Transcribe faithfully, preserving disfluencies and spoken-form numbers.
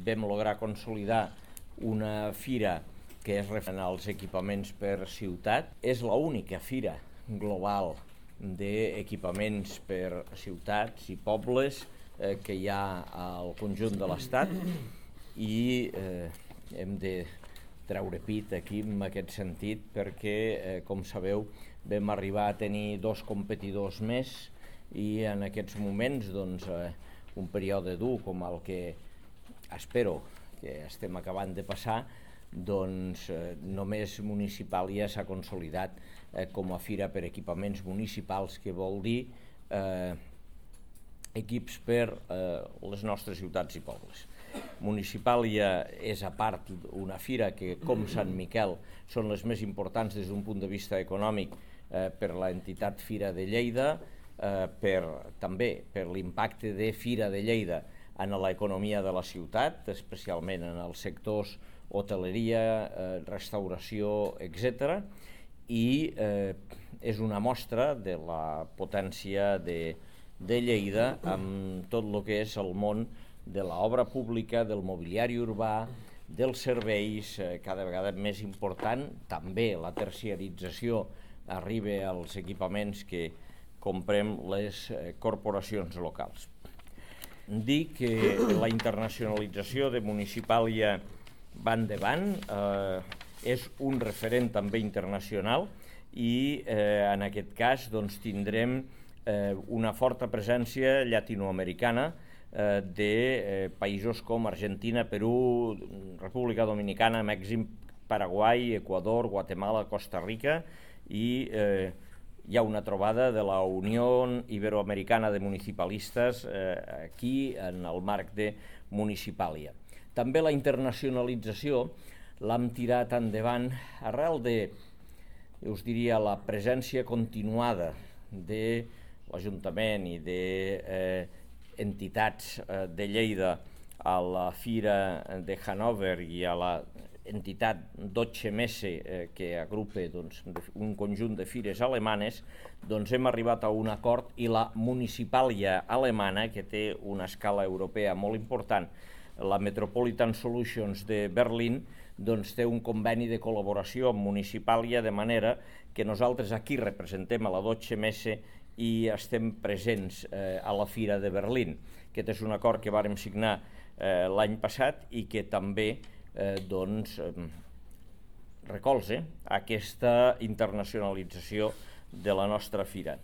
vam lograr consolidar una fira que és referent als equipaments per ciutat. És l'única fira global d'equipaments per ciutats i pobles eh, que hi ha al conjunt de l'Estat i eh, hem de treure pit aquí en aquest sentit perquè, eh, com sabeu, vam arribar a tenir dos competidors més i en aquests moments doncs, eh, un període dur com el que espero que estem acabant de passar, doncs eh, només Municipàlia s'ha consolidat eh, com a fira per equipaments municipals, que vol dir eh, equips per eh, les nostres ciutats i pobles. Municipàlia és a part una fira que, com Sant Miquel, són les més importants des d'un punt de vista econòmic eh, per l'entitat Fira de Lleida, eh, per, també per l'impacte de Fira de Lleida en l'economia de la ciutat, especialment en els sectors hoteleria, eh, restauració, etcètera, i eh, és una mostra de la potència de, de Lleida amb tot el que és el món de l'obra pública, del mobiliari urbà, dels serveis, eh, cada vegada més important. També la terciarització arriba als equipaments que comprem les eh, corporacions locals. Dir que la internacionalització de Municipàlia va endavant, eh, és un referent també internacional i eh, en aquest cas doncs, tindrem eh, una forta presència llatinoamericana eh, de eh, països com Argentina, Perú, República Dominicana, Mèxic, Paraguai, Equador, Guatemala, Costa Rica i eh, hi ha una trobada de la Unió Iberoamericana de Municipalistes eh, aquí en el marc de Municipàlia. També la internacionalització l'hem tirat endavant arrel de, us diria, la presència continuada de l'Ajuntament i d'entitats eh, eh, de Lleida a la Fira de Hannover i a la entitat Deutsche Messe eh, que agrupa doncs, un conjunt de fires alemanes, doncs hem arribat a un acord i la Municipàlia alemana, que té una escala europea molt important, la Metropolitan Solutions de Berlín, doncs té un conveni de col·laboració amb Municipàlia, de manera que nosaltres aquí representem a la Deutsche Messe i estem presents eh, a la Fira de Berlín. Aquest és un acord que vàrem signar eh, l'any passat i que també eh, doncs, eh, recolza aquesta internacionalització de la nostra fira.